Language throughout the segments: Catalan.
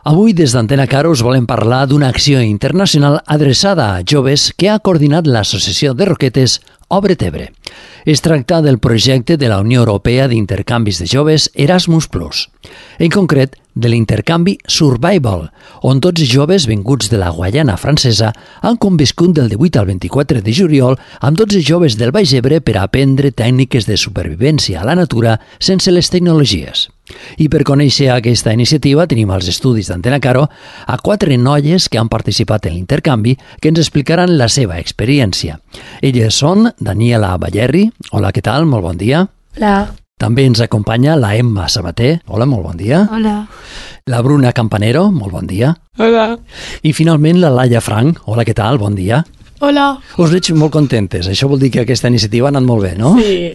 Avui, des d'Antena Caro, us volem parlar d'una acció internacional adreçada a joves que ha coordinat l'Associació de Roquetes Obre Tebre. Es tracta del projecte de la Unió Europea d'Intercanvis de Joves Erasmus+. En concret, de l'intercanvi Survival, on 12 joves vinguts de la Guaiana francesa han conviscut del 18 al 24 de juliol amb 12 joves del Baix Ebre per a aprendre tècniques de supervivència a la natura sense les tecnologies. I per conèixer aquesta iniciativa tenim als estudis d'Antena Caro a 4 noies que han participat en l'intercanvi que ens explicaran la seva experiència. Elles són Daniela Ballerri. Hola, què tal? Molt bon dia. Hola. També ens acompanya la Emma Sabater. Hola, molt bon dia. Hola. La Bruna Campanero. Molt bon dia. Hola. I finalment la Laia Frank. Hola, què tal? Bon dia. Hola. Us veig molt contentes. Això vol dir que aquesta iniciativa ha anat molt bé, no? Sí.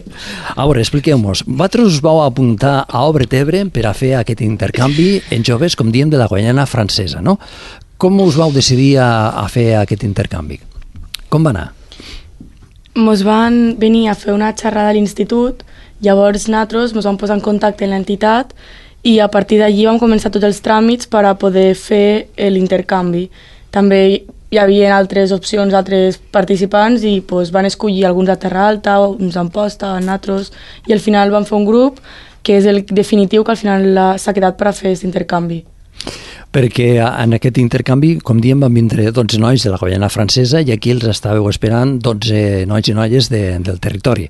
A veure, expliqueu-nos. Vosaltres us vau apuntar a Obre Tebre per a fer aquest intercanvi en joves, com diem, de la Guaiana francesa, no? Com us vau decidir a fer aquest intercanvi? Com va anar? Ens van venir a fer una xerrada a l'institut, llavors nosaltres ens vam posar en contacte amb l'entitat i a partir d'allí vam començar tots els tràmits per a poder fer l'intercanvi. També hi havia altres opcions, altres participants i van escollir alguns a Terra Alta, uns a Amposta, nosaltres, i al final vam fer un grup que és el definitiu que al final s'ha quedat per a fer aquest intercanvi. Perquè en aquest intercanvi, com diem, van vindre 12 nois de la Guaiana francesa i aquí els estàveu esperant 12 nois i noies del territori.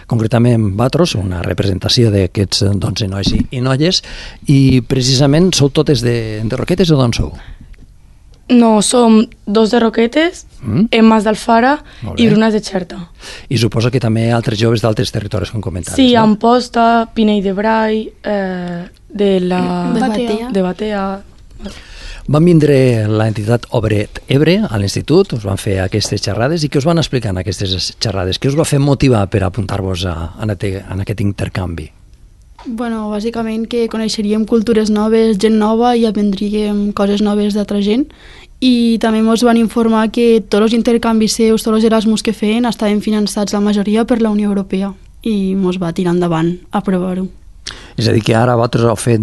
Concretament, vosaltres, una representació d'aquests 12 nois i noies, i precisament sou totes de Roquetes o d'on sou? No, som 2 de Roquetes, Emma d'Alfara i Bruna de Xerta. I suposo que també altres joves d'altres territoris, com comentaves, sí, no? Amposta, Pinell de Brai, de Batea. Van vindre l'entitat Obre Ebre a l'institut, us van fer aquestes xerrades i què us van explicar en aquestes xerrades? Què us va fer motivar per apuntar-vos en aquest intercanvi? Bueno, bàsicament que coneixeríem cultures noves, gent nova i aprendríem coses noves d'altra gent i també ens van informar que tots els intercanvis seus, tots els Erasmus que feien estaven finançats la majoria per la Unió Europea i ens va tirar endavant a provar-ho. És a dir, que ara vosaltres heu fet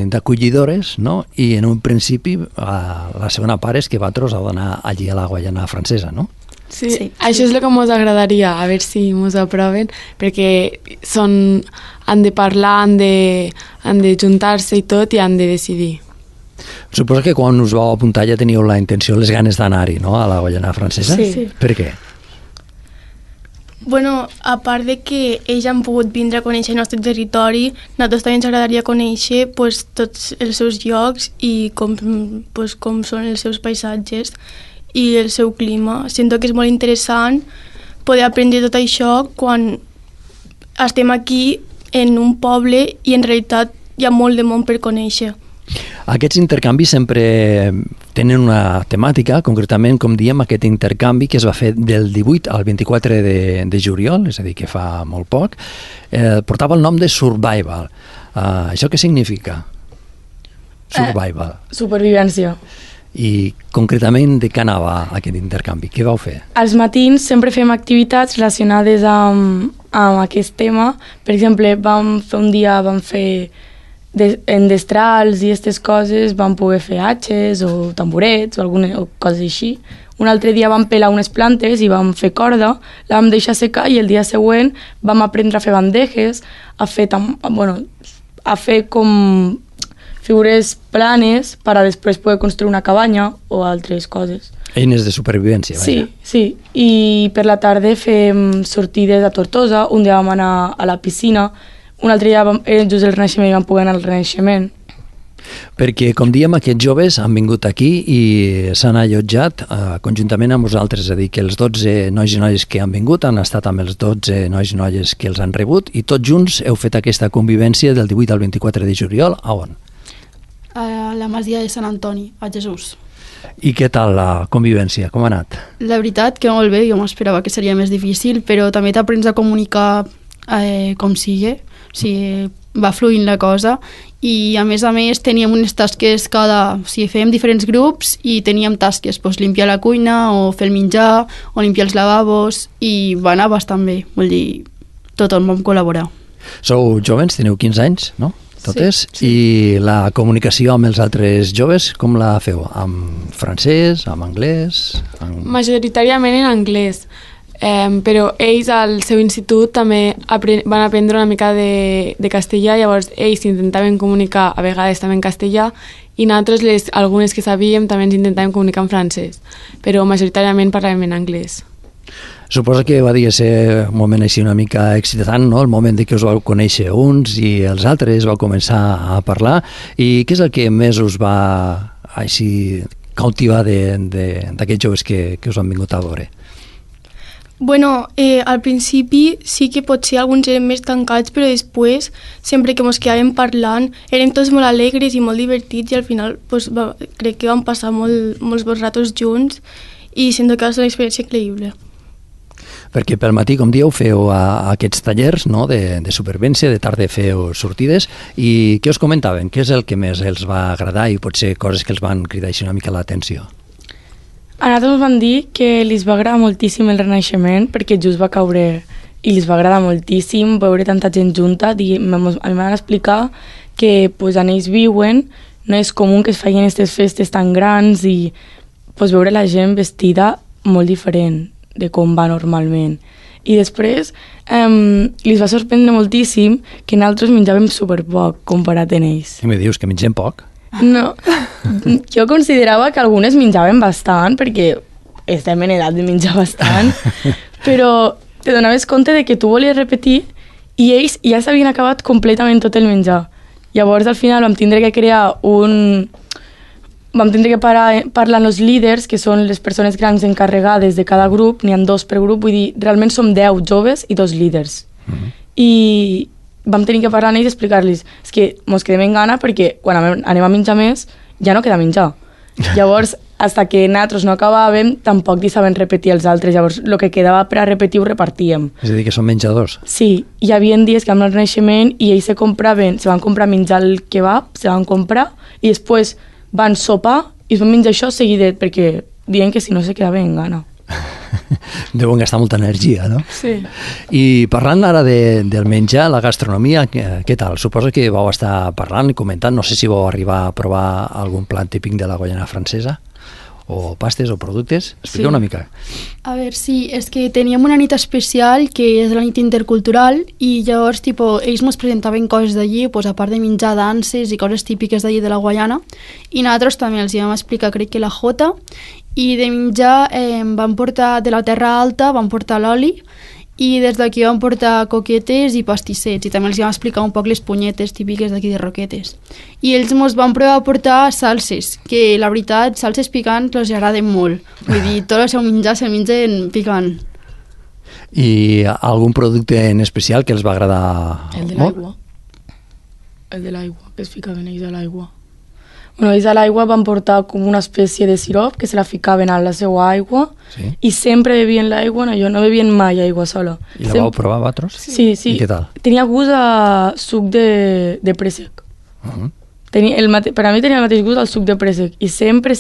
d'acollidores, no? I en un principi la segona part és que vosaltres heu d'anar allí a la Guaiana francesa, no? Sí, això és el que ens agradaria, a veure si ens aproven, perquè han de parlar, han de juntar-se i tot i han de decidir. Suposo que quan us vau apuntar ja teníeu la intenció, les ganes d'anar-hi, no?, a la Guaiana francesa? Sí. Per què? Bueno, a part de que ells han pogut vindre a conèixer el nostre territori, a nosaltres també ens agradaria conèixer tots els seus llocs i com són els seus paisatges i el seu clima. Sento que és molt interessant poder aprendre tot això quan estem aquí en un poble i en realitat hi ha molt de món per conèixer. Aquests intercanvis sempre tenen una temàtica, concretament, com diem, aquest intercanvi que es va fer del 18 al 24 de juliol, és a dir, que fa molt poc, portava el nom de Survival. Això què significa? Survival. Supervivència. I concretament de què anava aquest intercanvi? Què vau fer? Als matins sempre fem activitats relacionades amb aquest tema. Per exemple, un dia vam fer en destrals i aquestes coses, vam poder fer atxes o tamborets o coses així. Un altre dia vam pelar unes plantes i vam fer corda, la vam deixar secar i el dia següent vam aprendre a fer bandejes, a fer com figures planes per a després poder construir una cabanya o altres coses. Eines de supervivència, vaja. Sí. I per la tarda fem sortides a Tortosa, un dia vam anar a la piscina, un altre dia era just el Renaixement i vam poder anar al Renaixement. Perquè, com diem, aquests joves han vingut aquí i s'han allotjat conjuntament amb vosaltres, és a dir, que els 12 nois i noies que han vingut han estat amb els 12 nois i noies que els han rebut i tots junts heu fet aquesta convivència del 18 al 24 de juliol. A on? A la Masia de Sant Antoni, a Jesús. I què tal la convivència? Com ha anat? La veritat que molt bé, jo m'esperava que seria més difícil, però també t'aprens a comunicar com sigui, o sigui, va fluint la cosa i a més teníem unes tasques fèiem diferents grups i teníem tasques, limpiar la cuina o fer el menjar o limpiar els lavabos i va anar bastant bé, vull dir, tothom vam col·laborar. Sou jovens, teniu 15 anys, no? totes, i la comunicació amb els altres joves, com la feu? Amb francès, amb anglès? Majoritàriament en anglès, però ells al seu institut també van aprendre una mica de castellà, llavors ells intentaven comunicar a vegades també en castellà i nosaltres, algunes que sabíem, també ens intentàvem comunicar en francès, però majoritàriament parlàvem en anglès. Suposo que va dir ser un moment així una mica excitant, no? El moment de que us vau conèixer uns i els altres vau començar a parlar. I què és el que més us va així cautivar d'aquests joves que us han vingut a veure? Bueno, al principi sí que potser alguns eren més tancats, però després, sempre que ens quedàvem parlant, érem tots molt alegres i molt divertits i al final pues, crec que vam passar molts bons ratos junts i sento que va ser una experiència increïble. Perquè pel matí, com dieu, feu aquests tallers, no?, de supervivència, de tarda feu sortides, i què us comentaven? Què és el que més els va agradar i potser coses que els van cridar així una mica l'atenció? A nosaltres ens van dir que li va agradar moltíssim el Renaixement perquè just va caure i li va agradar moltíssim veure tanta gent junta. A mi m'han explicar que pues, on ells viuen no és comú que es facin aquestes festes tan grans i pues, veure la gent vestida molt diferent de com va normalment. I després li va sorprendre moltíssim que nosaltres menjàvem superpoc comparat amb ells. I me dius que mengem poc? No, jo considerava que algunes menjaven bastant perquè estem en edat de menjar bastant, però te donaves compte de que tu volies repetir i ells ja s'havien acabat completament tot el menjar. Llavors al final vam tindre que crear Vam tindre que parlar amb els líders, que són les persones grans encarregades de cada grup, n'hi ha 2 per grup, vull dir, realment som 10 joves i 2 líders. I vam tenir que parlar amb ells i explicar-los és que mos quedem en gana perquè quan anem a menjar més ja no queda menjar. Llavors, fins que nosaltres no acabàvem, tampoc deixaven repetir els altres. Llavors, el que quedava per a repetir ho repartíem. És a dir, que són menjadors? Sí, hi havia dies que amb el Renaixement i ells se van comprar menjar el kebab, se van comprar i després van sopar i es van menjar això seguidet perquè diuen que si no se quedava en gana. Deuen gastar molta energia, no? Sí. I parlant ara del menjar, la gastronomia, què tal? Suposo que vau estar parlant i comentant, no sé si vau arribar a provar algun plat típic de la Guaiana Francesa, o pastes o productes. Explica una mica. A veure, sí, és que teníem una nit especial que és la nit intercultural i llavors ells ens presentaven coses d'allí, a part de menjar, danses i coses típiques d'allí de la Guaiana, i nosaltres també els vam explicar, crec que la jota, i de menjar vam portar de la Terra Alta, vam portar l'oli i des d'aquí vam portar coquetes i pastissets i també els vam explicar un poc les punyetes típiques d'aquí de Roquetes. I ells ens van provar a portar salses, que la veritat, salses picants els agraden molt. Vull dir, tot el seu menjar se'l mengen picant. I algun producte en especial que els va agradar El de l'aigua. El de l'aigua, que es ficaven ells a l'aigua. Bueno, ells a l'aigua van portar com una espècie de sirop que se la ficaven a la seva aigua i sempre bevien l'aigua, no bevien mai aigua sola. I la vau provar vosaltres? Sí. I què tal? Tenia gust a suc de préssec. Per a mi tenia el mateix gust al suc de préssec i sempre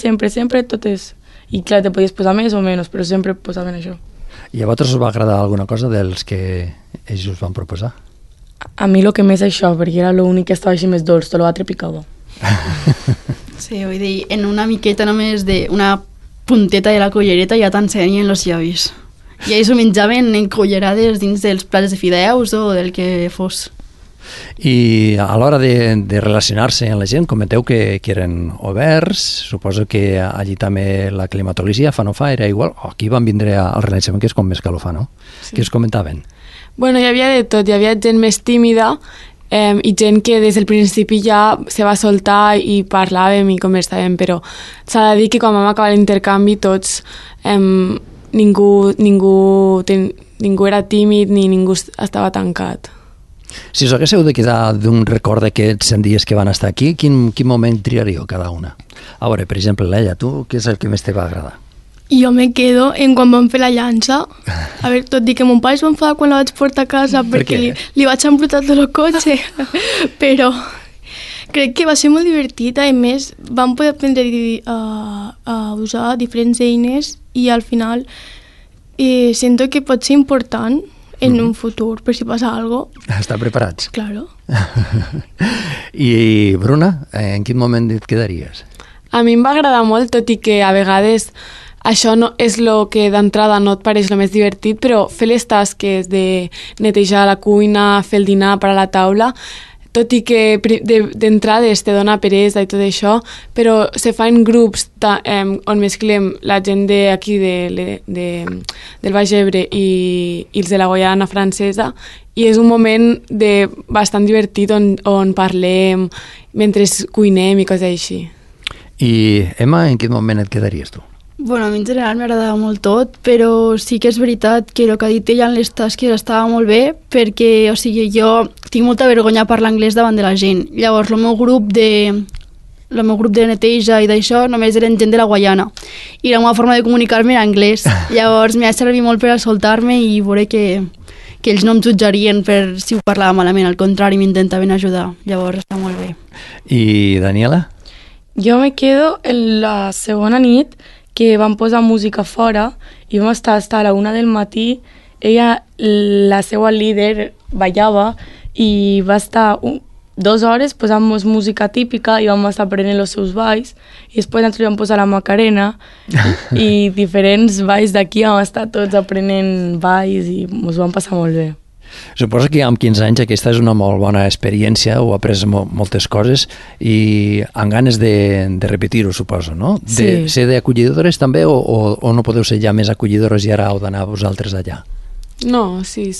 tot és... I clar, te podies posar més o menys, però sempre posaven això. I a vosaltres us va agradar alguna cosa dels que ells us van proposar? A mi el que més això, perquè era l'únic que estava així més dolç, tot l'altre picava. Sí, vull dir, en una miqueta només d'una punteta de la cullereta ja t'ensenyen els llavis. I ells ho menjaven en cullerades dins dels plats de fideus o del que fos. I a l'hora de relacionar-se amb la gent, comenteu que eren oberts, suposo que allí també la climatologia fa no fa era igual, aquí van vindre al Renaixement que és com més calor fa, no? Sí. Què us comentaven? Bueno, hi havia de tot, hi havia gent més tímida i gent que des del principi ja se va soltar i parlàvem i conversàvem, però s'ha de dir que quan vam acabar l'intercanvi tots, ningú era tímid ni ningú estava tancat. Si us haguéssiu de quedar d'un record d'aquests 100 dies que van estar aquí, quin moment triaríeu cada una? A veure, per exemple, Leia, tu, què és el que més te va agradar? Jo me quedo en quan vam fer la llança. A veure, tot i que mon pare es va enfadar quan la vaig portar a casa perquè li vaig embrutar tot el cotxe, però crec que va ser molt divertit. A més, vam poder aprendre a usar diferents eines i al final sento que pot ser important en un futur, per si passa alguna cosa. Estar preparats. Claro. I Bruna, en quin moment et quedaries? A mi em va agradar molt, tot i que a vegades això no és el que d'entrada no et pareix el més divertit, però fer les tasques de netejar la cuina, fer el dinar per a la taula, tot i que d'entrades te dona peresa i tot això, però se fa en grups on mesclem la gent d'aquí del Baix Ebre i els de la Guaiana Francesa, i és un moment bastant divertit on parlem mentre cuinem i coses així. I Emma, en quin moment et quedaries tu? Bueno, a mi en general m'agradava molt tot, però sí que és veritat que el que ha dit ella en les tasques estava molt bé, perquè, o sigui, jo tinc molta vergonya a parlar anglès davant de la gent. Llavors, el meu grup de neteja i d'això només eren gent de la Guaiana, i la meva forma de comunicar-me era anglès. Llavors, m'ha servit molt per a soltar-me i veure que ells no em jutjarien per si ho parlava malament, al contrari, m'intentaven ajudar. Llavors, està molt bé. I Daniela? Jo me quedo en la segona nit que vam posar música fora i vam estar a la 1 del matí. Ella, la seva líder, ballava i va estar 2 hores posant música típica i vam estar aprenent els seus balls, i després nosaltres vam posar la Macarena i diferents balls d'aquí vam estar tots aprenent balls i ens vam passar molt bé. Suposo que amb 15 anys aquesta és una molt bona experiència, ho he après moltes coses i amb ganes de repetir-ho, suposo, no? Sí. Ser d'acollidores també o no podeu ser ja més acollidores i ara heu d'anar vosaltres allà? No, sí.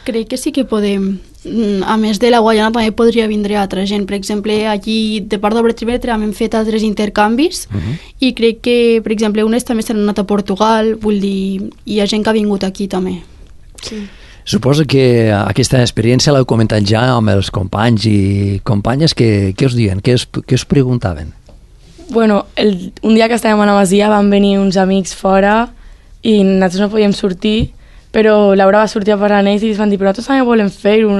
Crec que sí que podem. A més de la Guaiana també podria vindre altra gent. Per exemple, allí de part d'Obretebre hem fet altres intercanvis i crec que, per exemple, unes també s'han anat a Portugal, vull dir, hi ha gent que ha vingut aquí també. Sí. Suposo que aquesta experiència l'heu comentat ja amb els companys i companyes. Què us diuen? Què us preguntaven? Bueno, un dia que estàvem a la Masia van venir uns amics fora i nosaltres no podíem sortir, però Laura va sortir a parlar amb ells i ens van dir però nosaltres també volem fer-ho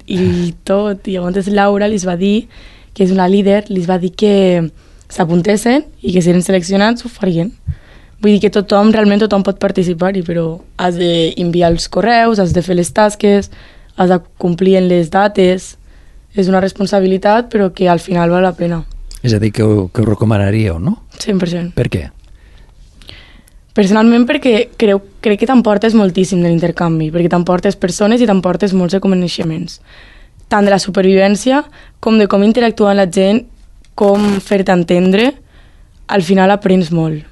i tot. I llavors Laura els va dir, que és una líder, els va dir que s'apuntessin i que si eren seleccionats ho farien. Vull dir que realment tothom pot participar-hi, però has d'enviar els correus, has de fer les tasques, has de complir en les dates. És una responsabilitat, però que al final val la pena. És a dir, que ho recomanaríeu, no? 100%. Per què? Personalment perquè crec que t'emportes moltíssim de l'intercanvi, perquè t'emportes persones i t'emportes molts de coneixements. Tant de la supervivència com de com interactuar amb la gent, com fer-te entendre, al final aprens molt.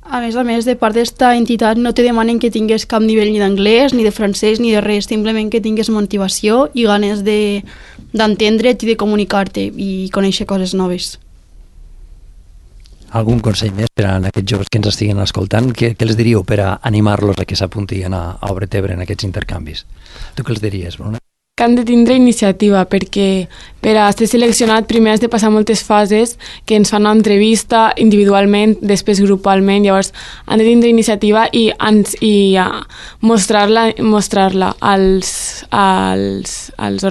A més, de part d'esta entitat no te demanen que tingues cap nivell ni d'anglès, ni de francès, ni de res, simplement que tingues motivació i ganes d'entendre't i de comunicar-te i conèixer coses noves. Algun consell més per a aquests joves que ens estiguen escoltant? Què els diríeu per a animar-los a que s'apuntien a Obretebre en aquests intercanvis? Tu què els diries, Bruna? Que han de tindre iniciativa, perquè per a ser seleccionat primer has de passar moltes fases que ens fan una entrevista individualment, després grupalment, llavors han de tindre iniciativa i mostrar-la als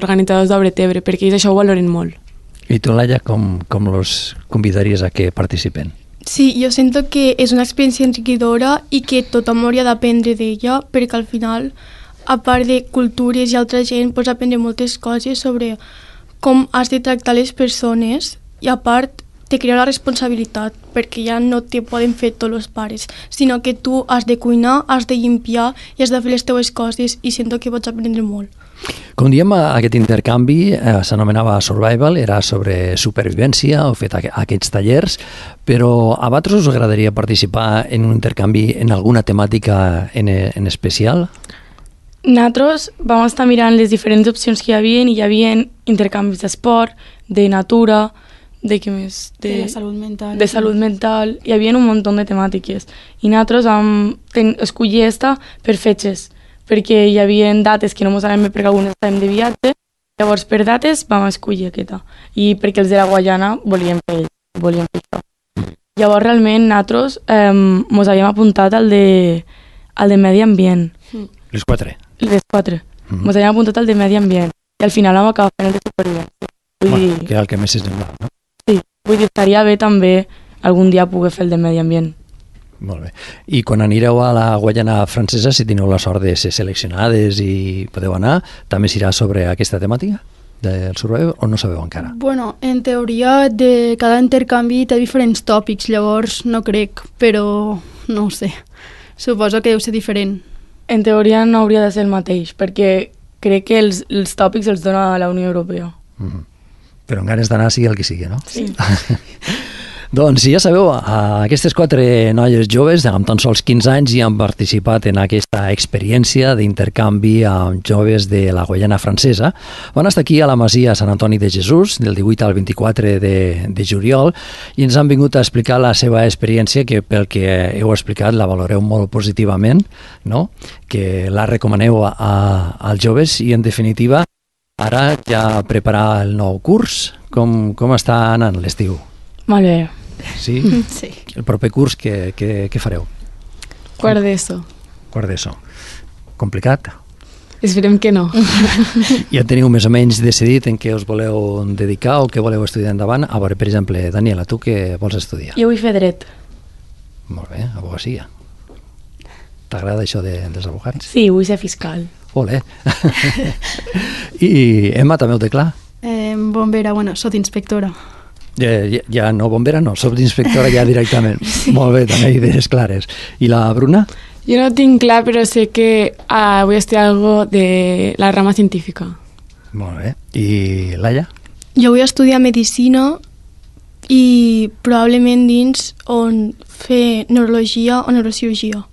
organitzadors d'Obretebre, perquè ells això ho valoren molt. I tu, Laia, com los convidaries a que participen? Sí, jo sento que és una experiència enriquidora i que tothom hauria d'aprendre d'ella, perquè al final, a part de cultures i altra gent, pots aprendre moltes coses sobre com has de tractar les persones i a part te crea la responsabilitat, perquè ja no te poden fer tots els pares, sinó que tu has de cuinar, has de limpiar i has de fer les teves coses i sento que pots aprendre molt. Com diem, aquest intercanvi s'anomenava Survival, era sobre supervivència, heu fet aquests tallers, però a vosaltres us agradaria participar en un intercanvi en alguna temàtica en especial? Nosaltres vam estar mirant les diferents opcions que hi havia intercanvis d'esport, de natura, de què més? De la salut mental. De salut mental, hi havia un munt de temàtiques. I nosaltres vam escollir esta per fetges, perquè hi havia dates que no ens anàvem perquè algunes estàvem de viatge, llavors per dates vam escollir aquesta. I perquè els de la Guaiana volien fer això. Llavors realment nosaltres ens havíem apuntat al de medi ambient. Les 4? Les 4. Ens havíem apuntat al de medi ambient. I al final vam acabar fent el de supervivència. Que era el que més s'essemblava, no? Sí, vull dir, estaria bé també algun dia poder fer el de medi ambient. Molt bé. I quan anireu a la Guaiana Francesa, si teniu la sort de ser seleccionades i podeu anar, també s'irà sobre aquesta temàtica del survival o no sabeu encara? Bueno, en teoria de cada intercanvi té diferents tòpics, llavors no crec, però no ho sé. Suposo que deu ser diferent. En teoria no hauria de ser el mateix, perquè crec que els tòpics els dona la Unió Europea. Però en ganes d'anar sigui el que sigui, no? Sí. Doncs ja sabeu, aquestes 4 noies joves amb tan sols 15 anys ja han participat en aquesta experiència d'intercanvi amb joves de la Guaiana Francesa. Van estar aquí a la Masia Sant Antoni de Jesús del 18 al 24 de juliol i ens han vingut a explicar la seva experiència, que pel que heu explicat la valoreu molt positivament, no? Que la recomaneu als joves i en definitiva ara ja preparar el nou curs. Com està anant l'estiu? Molt bé. Sí? Sí. El proper curs què fareu? Quart d'ESO. Quart d'ESO. Complicat? Esperem que no. Ja teniu més o menys decidit en què us voleu dedicar o què voleu estudiar endavant? A veure, per exemple, Daniela, tu què vols estudiar? Jo vull fer dret. Molt bé, abogacia. T'agrada això dels abogats? Sí, vull ser fiscal. Olé. I Emma, també ho té clar? Bombera, bueno, soc inspectora. Ja no bombera, no, soc d'inspectora ja directament. Sí. Molt bé, també idees clares. I la Bruna? Jo no tinc clar, però sé que vull estudiar algo de la rama científica. Molt bé. I Laia? Jo vull estudiar medicina i probablement dins on fer neurologia o neurocirurgia.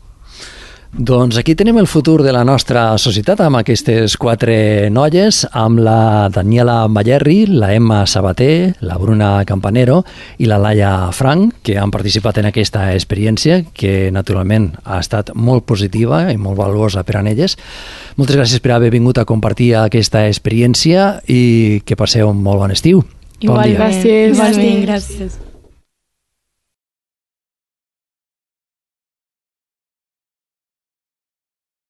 Doncs aquí tenim el futur de la nostra societat amb aquestes 4 noies, amb la Daniela Mallerri, la Emma Sabater, la Bruna Campanero i la Laia Frank, que han participat en aquesta experiència, que naturalment ha estat molt positiva i molt valuosa per a elles. Moltes gràcies per haver vingut a compartir aquesta experiència i que passeu un molt bon estiu. Igualment. Bon dia. Gràcies. Igualment, gràcies.